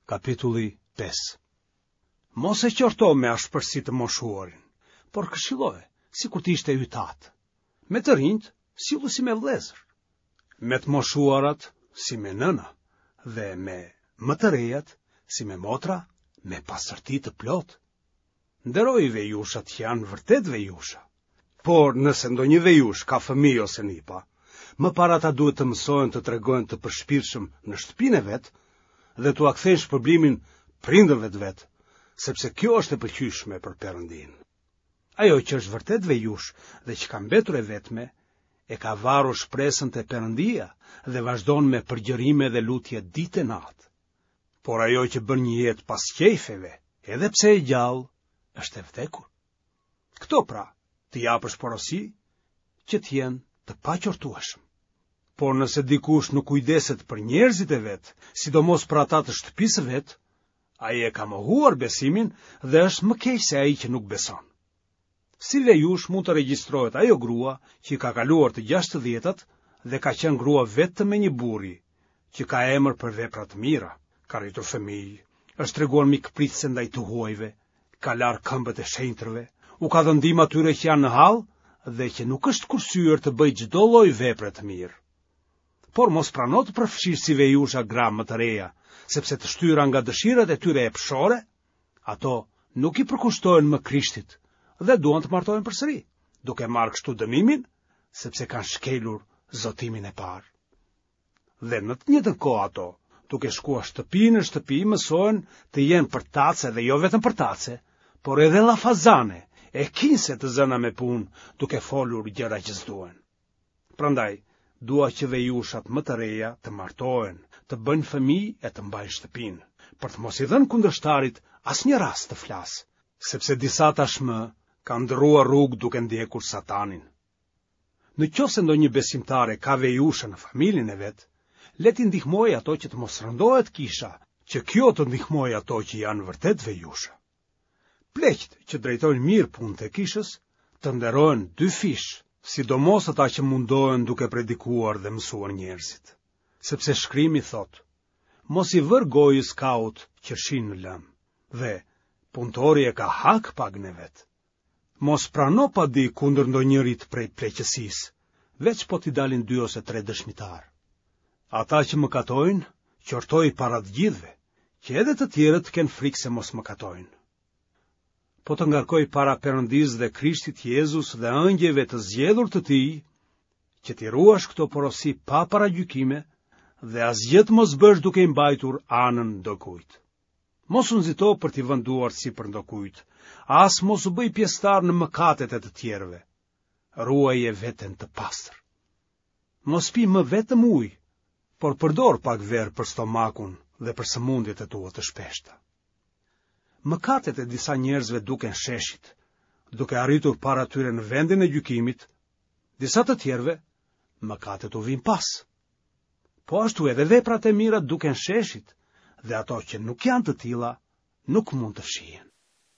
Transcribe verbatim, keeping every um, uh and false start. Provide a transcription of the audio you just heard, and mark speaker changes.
Speaker 1: Kapitulli pesë. Mos e qorto me ashpërsi të moshuarin, por këshilloje, sikur të ishte yt atë. Me të rinjtë, sillu si me vëllezër. Me të moshuarat, si me nëna, dhe me më të rejat, si me motra, me pastërti të plotë. Nderoji vejushat që janë vërtet vejusha. Por nëse ndonjë vejushë ka fëmijë ose nipa, më parë ata duhet të mësohen të tregohen të përshpirtshëm në shtëpinë e vet dhe t'ua kthejnë shpërblimin prindërve të vet, sepse kjo është e pëlqyeshme për Perëndinë. Ajo që është vërtet vejushë dhe që ka mbetur e vetme, e ka varur shpresën te Perëndia dhe vazhdon me përgjërime dhe lutje ditë e natë. Por ajo që bën një jetë pas qejfeve, edhe pse e gjallë, është e vdekur. Këto pra, të japësh porosi që të jenë të paqortueshëm. Por nëse dikush nuk kujdeset për njerëzit e vet, sidomos për ata të shtëpisë së vet, ai e ka mohuar besimin dhe është më keq se ai që nuk beson. Si vejushë mund të regjistrohet ajo grua që i ka kaluar të gjashtëdhjetat dhe ka qenë grua vetëm e një burri, që ka emër për vepra të mira, ka rritur fëmijë, është treguar mikpritëse ndaj të huajve, ka larë këmbët e shenjtërve, u ka dhënë ndihmë atyre që janë në hall dhe që nuk është kursyer të bëjë çdo lloj vepre të mirë. Por mos prano të përfshish si vejusha gra më të reja, sepse të shtyra nga dëshirat e tyre epshore, ato nuk i përkushtohen më Krishtit dhe duan të martohen përsëri, duke marrë kështu dënimin, sepse kanë shkelur zotimin e parë. Dhe në të njëjtën kohë ato, duke shkuar shtëpi në shtëpi, mësohen të jenë përtace dhe jo vetëm përtace, por edhe llafazane, e kinse të zëna me punë, duke folur gjëra që s'duhen. Prandaj, dua që vejushat më të reja të martohen, të bëjnë fëmijë e të mbajnë shtëpinë, për të mos i dhënë kundërshtarit asnjë rast të flasë, sepse disa tashmë kanë ndërruar rrugë duke ndjekur Satanin. Në qoftë se ndonjë besimtare ka vejusha në familjen e vet, le t'i ndihmojë ato që të mos rëndohet kisha, që kjo të ndihmojë ato që janë vërtet vejusha. Pleqtë që drejtojnë mirë punët e kishës, të nderohen dyfish, sidomos ata që mundohen duke predikuar dhe mësuar njerëzit. Sepse shkrimi thotë, mos i vër gojës kaut qershinë në lëmë, dhe punëtori e ka hak pagën e vet. Mos prano padi kundër ndonjërit prej pleqësisë, veç po t'i dalin dy ose tre dëshmitar. Ata që mëkatojnë, qortoi para të gjithëve, që edhe të tjerët të kenë frikë se mos mëkatojnë. Po të ngarkoj para Perëndisë dhe Krishtit Jezus dhe ëngjëjve të zgjedhur të tij, që t'i ruash këto porosi pa paragjykime dhe asgjë të mos bësh duke i mbajtur anën ndokujt. Mos u nxito për t'i vënë duart sipër ndokujt, as mos u bëj pjesëtar në mëkatet e të tjerëve. Ruaje veten të pastër. Mos pi më vetëm ujë, por përdor pak verë për stomakun dhe për sëmundjet e tua të shpeshta. Mëkatet e disa njerëzve duken sheshit, duke arritur para tyre në vendin e gjykimit, disa të tjerëve mëkatet u vijnë pas. Po ashtu edhe veprat e mira duken sheshit, dhe ato që nuk janë të tilla nuk mund të fshihen.